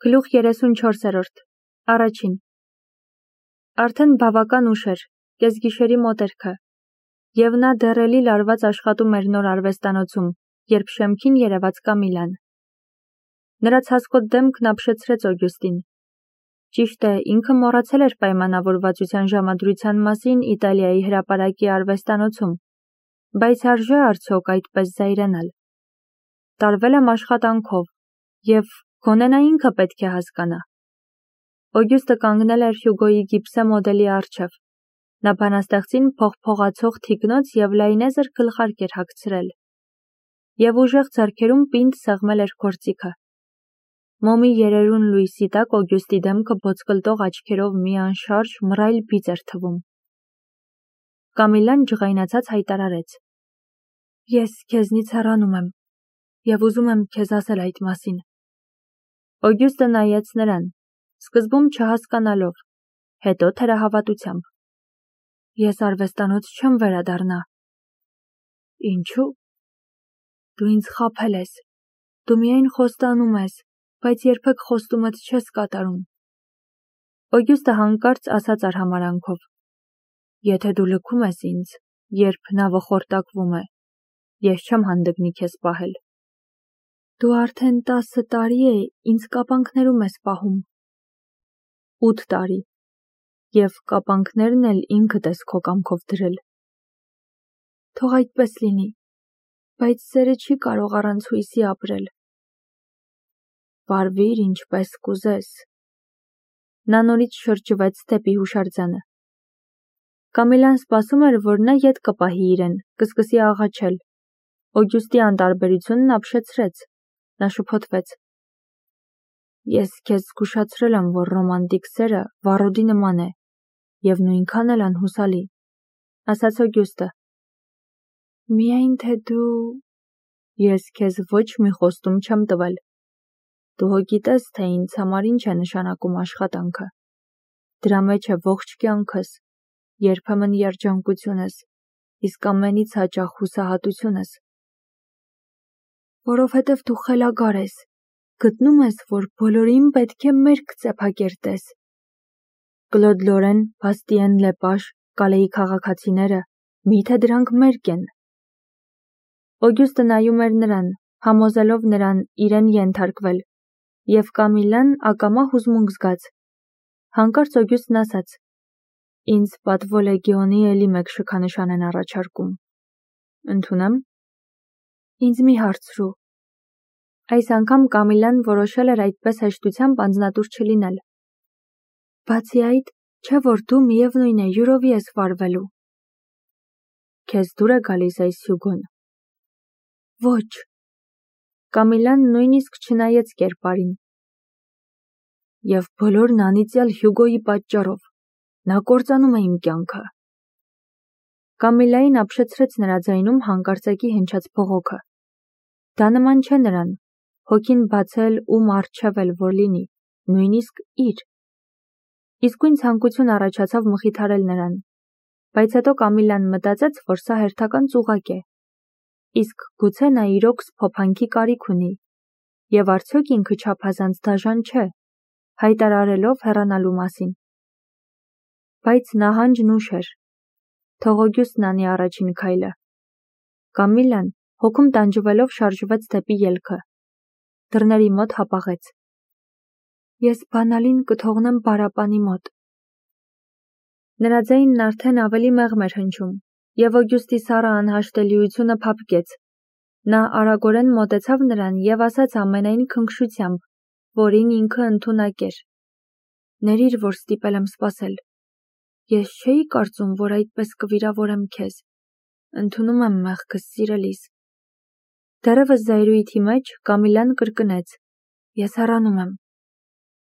Գլուխ 34 Առաջին Արդեն բավական ուշ էր, կեսգիշերի մոտերքը, և նա դեռ էլի լարված աշխատում էր նոր արվեստանոցում, երբ շեմքին երևաց Կամիլան։ Նրա ցասկոտ դեմքն ապշեցրեց Օգյուստին։ Ճիշտ է, ինքը մոռացել էր պայմանավորվածության ժամադրության մասին Իտալիայի հրապարակի արվեստանոցում, բայց արժե արդյոք այդպես զայրանալ։ Տարվել եմ աշխատանքով, և գոնե նա ինքը պետք է հասկանա։ Օգյուստը կանգնել էր Հյուգոյի գիպսե մոդելի առջև։ Նա բանաստեղծին փողփողացող թիկնոց և լայնեզր գլխարկ էր հագցրել, և ուժեղ ձեռքերում պինդ սեղմել էր գործիքը։ Մոմի երերուն լույսի տակ Օգյուստի դեմքը ոսկլտող աչքերով մի անշարժ մռայլ բիծ էր թվում։ Կամիլան ջղայնացած հայտարարեց. Ես քեզնից հեռանում եմ, և ուզում եմ քեզ ասել այդ մասին։ Օգյուստը նայեց նրան, սկզբում չհասկանալով, հետո թերահավատությամբ։ Ես արվեստանոց չեմ վերադառնա։ Ինչու՞։ Դու ինձ խաբել ես։ Դու միայն խոստանում ես, բայց երբեք խոստումդ չես կատարում։ Օգյուստը հանկարծ ասաց արհամարհանքով. Եթե դու լքում ես ինձ, երբ նավը խորտակվում է, ես չեմ հանդգնի քեզ պահել։ Դու արդեն 10 տարի է ինձ կապանքներում ես պահում։ 8 տարի, և կապանքներն էլ ինքդ ես քո կամքով դրել։ Թող այդպես լինի, բայց սերը չի կարող առանց հույսի ապրել։ Վարվիր ինչպես կուզես։ Նա նորից շրջվեց դեպի հուշարձանը։ Կամիլան սպասում էր, որ նա ետ կպահի իրեն, կսկսի աղաչել։ Օգյուստի անտարբերությունն ապշեցրեց։ Նա շփոթվեց. Ես քեզ զգուշացրել եմ, որ ռոմանտիկ սերը վառոդի նման է, և նույնքան էլ անհուսալի, ասաց Օգյուստը։ Միայն թե դու… Ես քեզ ոչ մի խոստում չեմ տվել։ Դու հո գիտես, թե ինձ համար ինչ է նշանակում աշխատանքը։ Դրա մեջ է ողջ կյանքս, երբեմն երջանկությունս, իսկ ամենից հաճախ հուսահատությունս։ Որովհետև դու խելագար ես, գտնում ես, որ բոլորին պետք է մերկ ծեփակերտես։ Կլոդ Լորեն, Բաստիեն Լեպաշ, Կալեի քաղաքացիները, միթե դրանք մերկ են։ Օգյուստը նայում էր նրան, համոզելով նրան իրեն ենթարկվել, և Կամիլան ակամա հուզմունք զգաց։ Հանկարծ Օգյուստն ասաց. Ինձ պատվո լեգիոնի էլի մեկ շքանշան են առաջարկում։ Ընդունեմ։ Ինձ մի հարցրու։ Այս անգամ Կամիլան որոշել էր այդպես հեշտությամբ անձնատուր չլինել։ Բացի այդ, չէ՞ որ դու միևնույն է յուրովի ես վարվելու։ Քեզ դուր է գալիս այս Հյուգոն։ Ոչ։ Կամիլան նույնիսկ չնայեց կերպարին։ Եվ բոլորն անիծյալ Հյուգոյի պատճառով։ Նա կործանում է իմ կյանքը։ Կամիլային ապշեցրեց նրա ձայնում հանկարծակի հնչած բողոքը։ Դա նման չէ նրան, հոգին բացել ում առջև էլ որ լինի, նույնիսկ իր։ Իսկույն ցանկություն առաջացավ մխիթարել նրան, բայց հետո Կամիլան մտածեց, որ սա հերթական ծուղակ է։ Իսկ գուցե նա իրոք սփոփանքի կարիք ունի, և արդյոք ինքը չափազանց դաժան չէ, հայտարարելով հեռանալու մասին։ Բայց նահանջն ուշ էր։ Թող Օգյուստն անի առաջին քայլը։ Կամիլան հոգում տանջվելով շարժվեց դեպի ելքը։ Դռների մոտ հապաղեց։ Ես բանալին կթողնեմ պարապանի մոտ։ Նրա ձայնն արդեն ավելի մեղմ էր հնչում, և Օգյուստի սառը անհաշտելիությունը փափկեց։ Նա արագորեն մոտեցավ նրան և ասաց ամենայն քնքշությամբ, որին ինքը ընդունակ էր. Ներիր, որ ստիպել եմ սպասել։ Ես չէի կարծում, որ այդպես կվիրավորեմ քեզ։ Ընդունում եմ մեղքս, սիրելիս։ Դեռևս զայրույթի մեջ Կամիլան կրկնեց. Ես հեռանում եմ։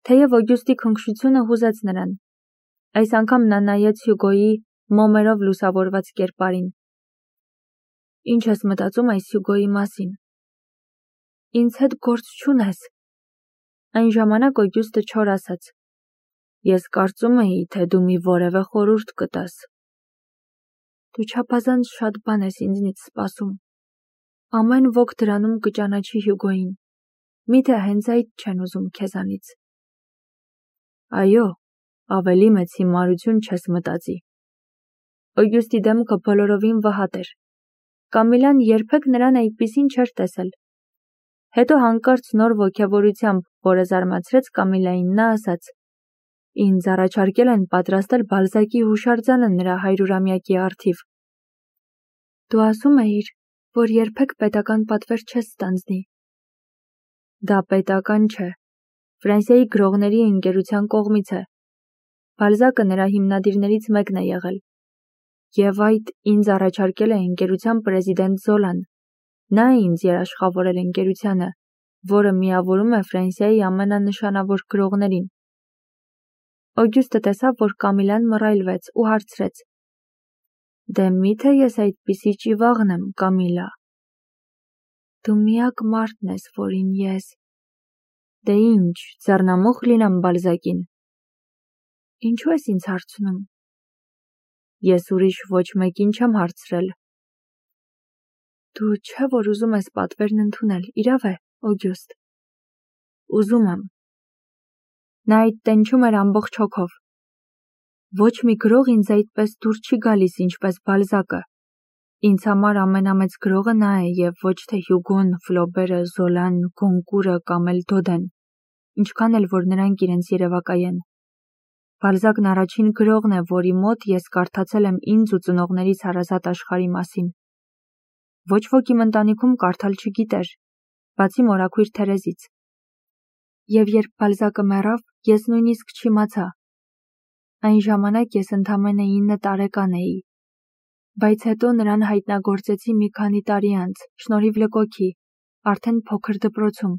Թեև Օգյուստի քնքշությունը հուզեց նրան։ Այս անգամ նա նայեց Հյուգոյի մոմերով լուսավորված կերպարին։ Ինչ ես մտածում այս Հյուգոյի մասին։ Ինձ հետ գործ չունես։ Այն ժամանակ Օգյուստը չոր ասաց. Ես կարծում էի, թե դու մի որևէ խորհուրդ կտաս։ Դու չափազանց շատ բան ես ինձնից սպասում։ Ամեն ոք դրանում կճանաչի Հյուգոյին։ Միթե հենց այդ չեն ուզում քեզանից։ Այո, ավելի մեծ հիմարություն չես մտածի։ Օգյուստի դեմքը բոլորովին վհատ էր։ Կամիլան երբեք նրան այդպիսին չէր տեսել։ Հետո հանկարծ նոր ոգևորությամբ, որը զարմացրեց Կամիլային, նա ասաց. Ինձ առաջարկել են պատրաստել Բալզակի հուշարձանը նրա 100-ամյակի առթիվ։ Դու ասում էիր, որ երբեք պետական պատվեր չես ստանձնի։ Դա պետական չէ։ Ֆրանսիայի գրողների ընկերության կողմից է։ Բալզակը նրա հիմնադիրներից մեկն է եղել։ Եվ այդ ինձ առաջարկել է ընկերության պրեզիդենտ Զոլան։ Նա է ինձ երաշխավորել ընկերությանը, որը միավորում է Ֆրանսիայի ամենանշանավոր գրողներին։ Օգյուստը տեսավ, որ Կամիլան մռայլվեց ու հարցրեց. Դե միթե ես այդպիսի ճիվաղն եմ, Կամիլա։ Դու միակ մարդն ես, որին ես։ Դե ինչ, ձեռնամուխ լինեմ Բալզակին։ Ինչու ես ինձ հարցնում։ Ես ուրիշ ոչ մեկին չեմ հարցրել։ Դու չէ որ ուզում ես պատվերն ընդունել, իրավ է, Օգյուստ։ Ուզում եմ։ Նա այդ տենչում էր ամբողջ հոգով։ Ոչ մի գրող ինձ այդպես դուր չի գալիս, ինչպես Բալզակը։ Ինձ համար ամենամեծ գրողը նա է և ոչ թե Հյուգոն, Ֆլոբերը, Զոլան, Գոնկուրը կամ էլ Դոդեն, ինչքան էլ որ նրանք իրենց երևակայեն։ Բալզակն առաջին գրողն է, որի մոտ ես կարդացել եմ ինձ ու ծնողներիս հարազատ աշխարհի մասին։ Ոչ ոք իմ ընտանիքում կարդալ չգիտեր, բացի մորաքույր Թերեզից։ Եվ երբ Բալզակը մեռավ, ես նույնիսկ չիմացա։ Այն ժամանակ ես ընդամենը 9 տարեկան էի։ Բայց հետո նրան հայտնագործեցի մի քանի տարի անց, շնորհիվ Լկոքի, արդեն փոքր դպրոցում,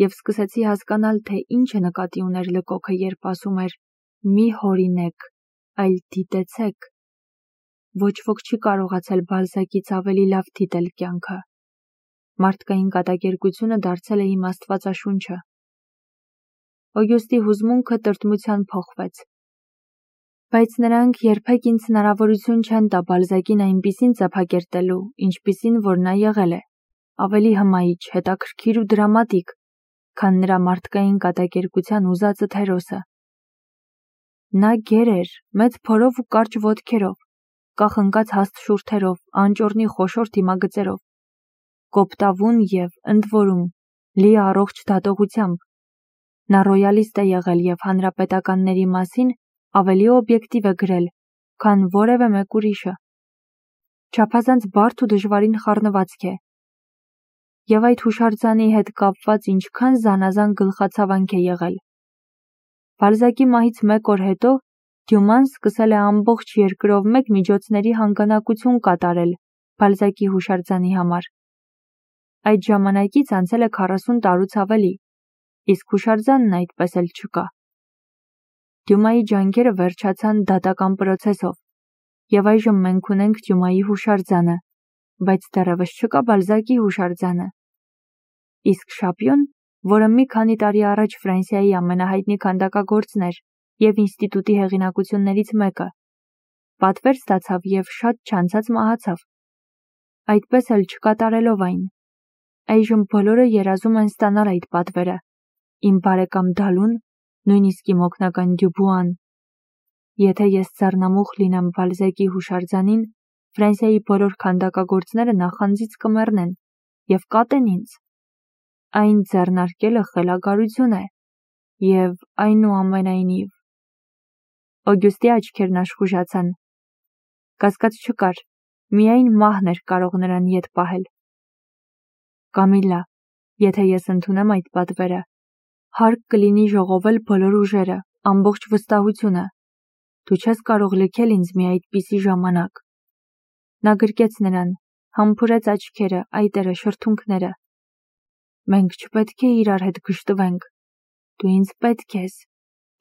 և սկսեցի հասկանալ, թե ինչ է նկատի ուներ Լկոքը, երբ ասում էր. «Մի հորինեք, այլ դիտեցեք»։ Ոչ ոք չի կարողացել Բալզակից ավելի լավ դիտել կյանքը։ Մարդկային կատակերգությունը դարձել է իմ աստվածաշունչը։ Օգյուստի հուզմունքը տրտմության փոխվեց։ Բայց նրանք երբեք ինձ հնարավորություն չեն տա Բալզակին այնպիսին ծափակերտելու, ինչպիսին որ նա եղել է, ավելի հմայիչ, հետաքրքիր ու դրամատիկ, քան նրա մարդկային կատակերգության ուզածը Թերոսը։ Նա գեր էր, մեծ փորով ու կարճ ոտքերով, կախնկած հաստ շուրթերով, անճոռնի խոշոր դիմագծերով, կոպտավուն և, ընդ որում, լի առողջ դատողությամբ։ Նա ռոյալիստ է եղել և հանրապետականների մասին ավելի օբյեկտիվ է գրել, քան որևէ մեկ ուրիշը։ Չափազանց բարդ ու դժվարին խառնվածք է։ Եվ այդ հուշարձանի հետ կապված ինչքան զանազան գլխացավանք է եղել։ Բալզակի մահից 1 օր հետո Դյուման սկսել է ամբողջ երկրով մեկ միջոցների հանգանակություն կատարել Բալզակի հուշարձանի համար։ Այդ ժամանակից անցել է 40 տարուց ավելի, իսկ հուշարձանն այդպես էլ չկա։ Դյումայի ջանքերը վերջացան դատական պրոցեսով, և այժմ մենք ունենք Դյումայի հուշարձանը, բայց դեռևս չկա Բալզակի հուշարձանը։ Իսկ Շապյուն, որը մի քանի տարի առաջ Ֆրանսիայի ամենահայտնի քանդակագործն էր և ինստիտուտի հեղինակություններից մեկը, պատվեր ստացավ և շատ չանցած մահացավ։ Այդպես էլ չկատարելով այն։ Այժմ բոլորը երազում են ստանալ այդ պատվերը, իմ բարեկամ Դալուն, նույնիսկ իմ օգնական Դյուբուան։ Եթե ես ձեռնամուխ լինեմ Բալզակի հուշարձանին, Ֆրանսիայի բոլոր քանդակագործները նախանձից կմեռնեն և կատեն ինձ։ Այն ձեռնարկելը խելագարություն է, և այնուամենայնիվ… Օգյուստի աչքերն աշխուժացան։ Կասկած չկար, միայն մահն էր կարող նրան ետ պահել։ Կամիլա, եթե ես ընդունեմ այդ պատվերը, հարկ կլինի ժողովել բոլոր ուժերը, ամբողջ վստահությունը։ Դու չես կարող լքել ինձ մի այդպիսի ժամանակ։ Նա գրկեց նրան, համբուրեց աչքերը, այտերը, շրթունքները։ Մենք չպետք է իրար հետ գժտվենք։ Դու ինձ պետք ես։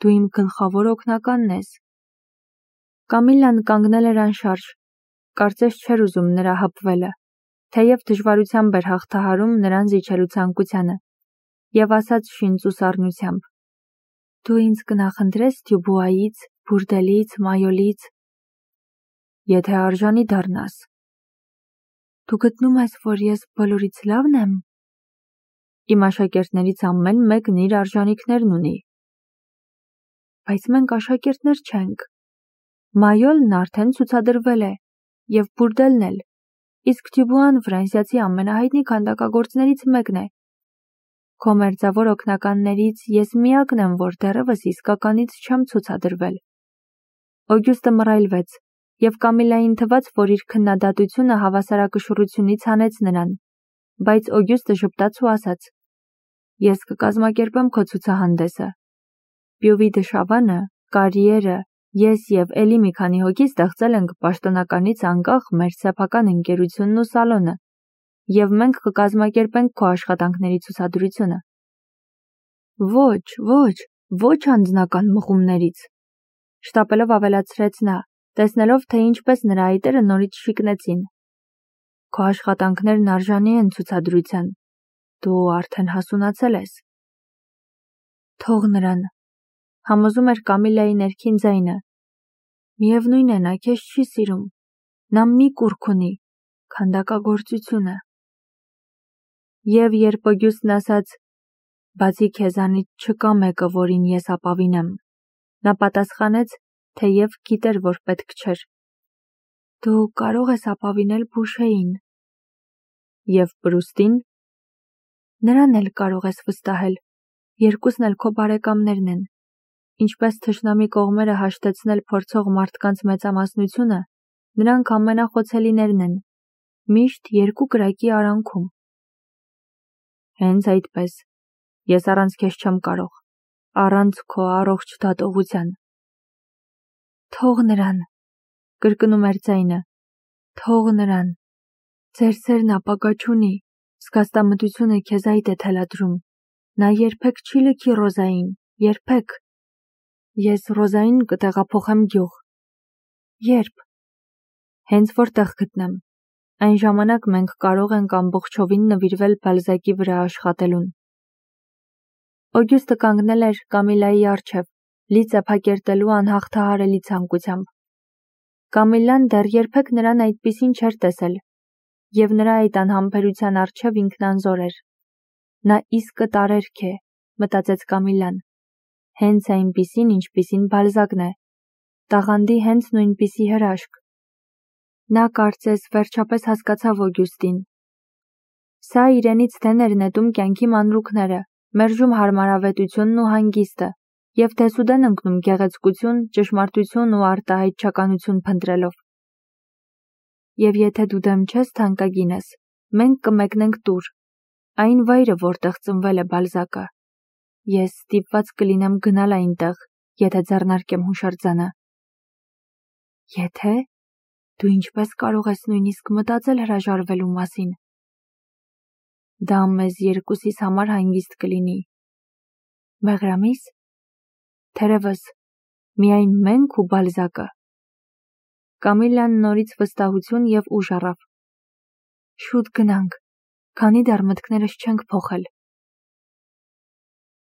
Դու իմ գլխավոր օգնականն ես։ Կամիլան կանգնել էր անշարժ, կարծես չէր ուզում նրա հպվելը, թեև դժվարությամբ էր հաղթահարում նրան զիջելու ցանկությանը, և ասաց շինծու սառնությամբ. Դու ինձ կնախընտրես Դյուբուայից, Բուրդելից, Մայոլից, եթե արժանի դառնաս։ Դու գտնում ես, որ ես բոլորից լավն եմ։ Իմ աշակերտներից ամեն մեկն իր արժանիքներն ունի։ Բայց մենք աշակերտներ չենք։ Մայոլն արդեն ցուցադրվել է, և բուրդելն էլ, իսկ Դյուբուան Ֆրանսիացի ամենահայտնի քանդակագործներից մեկն է։ Քո մերձավոր օգնականներից ես միակն եմ, որ դեռևս իսկականից չեմ ցուցադրվել։ Օգյուստը մռայլվեց, և Կամիլային թվաց, որ իր քննադատությունը հավասարակշռությունից հանեց նրան, բայց Օգյուստը ժպտաց ու ասաց. Ես կկազմակերպեմ քո ցուցահանդեսը։ Պյուվի Դշավանը, Կարիերը, ես և էլի մի քանի հոգի ստեղծել ենք պաշտոնականից անկախ մեր սեփական ընկերությունն ու սալոնը, և մենք կկազմակերպենք քո աշխատանքների ցուցադրությունը։ Ոչ անձնական մղումներից, շտապելով ավելացրեց նա, տեսնելով, թե ինչպես նրա այտերը նորից շիկնեցին։ Քո աշխատանքներն արժանի են ցուցադրության, դու արդեն հասունացել ես։ Թող նրան, համոզում էր Կամիլայի ներքին ձայնը։ Միևնույն է, նա քեզ չի սիրում, նա մի կուռք ունի, քանդակագործությունը։ Եվ երբ Օգյուստն ասաց. բացի քեզանից չկա մեկը, որին ես ապավինեմ, նա պատասխանեց, թեև գիտեր, որ պետք չէր. դու կարող ես ապավինել Բուշեին։ Եվ Պրուստին։ Նրան էլ կարող ես վստահել, երկուսն էլ քո բարեկամներն են։ Ինչպես թշնամի կողմերը հաշտեցնել փորձող մարդկանց մեծամասնությունը, նրանք ամենախոցելիներն են, միշտ երկու կրակի արանքում։ Հենց այդպես, ես առանց քեզ չեմ կարող, առանց քո առողջ դատողության։ Թող նրան, կրկնում էր ձայնը, թող նրան, ձեր սերն ապագա չունի, զգաստամտությունը քեզ այդ է թելադրում, նա երբեք չի լքի Ռոզային, երբեք։ Ես Ռոզային կտեղափոխեմ գյուղ։ Երբ։ Հենց որտեղ գտնեմ, այն ժամանակ մենք կարող ենք ամբողջովին նվիրվել Բալզակի վրա աշխատելուն։ Օգյուստը կանգնել էր Կամիլայի առջև, լի ծեփակերտելու անհաղթահարելի ցանկությամբ։ Կամիլան դեռ երբեք նրան այդպիսին չէր տեսել, և նրա այդ անհամբերության առջև ինքնանզոր էր։ Նա իսկը տարերք է, մտածեց Կամիլան, հենց այնպիսին, ինչպիսին Բալզակն է, տաղանդի հենց նույնպիսի հրաշք։ Նա կարծես վերջապես հասկացավ Օգյուստին։ Սա իրենից դեն էր նետում կյանքի մանրուքները, մերժում հարմարավետությունն ու հանգիստը, և դեսուդեն ընկնում գեղեցկություն, ճշմարտություն ու արտահայտչականություն փնտրելով։ Եվ եթե դու դեմ չես, թանկագինս, մենք կմեկնենք տուր, այն վայրը, որտեղ ծնվել է Բալզակը։ Ես ստիպված կլինեմ գնալ այնտեղ, եթե ձեռնարկեմ հուշարձանը։ Եթե։ Դու ինչպես կարող ես նույնիսկ մտածել հրաժարվելու մասին։ Դա մեզ երկուսիս համար հանգիստ կլինի։ Մեղրամի՞ս։ Թերևս, միայն մենք ու Բալզակը։ Կամիլան նորից վստահություն և ուժ առավ։ Շուտ գնանք, քանի դեռ մտքներս չենք փոխել։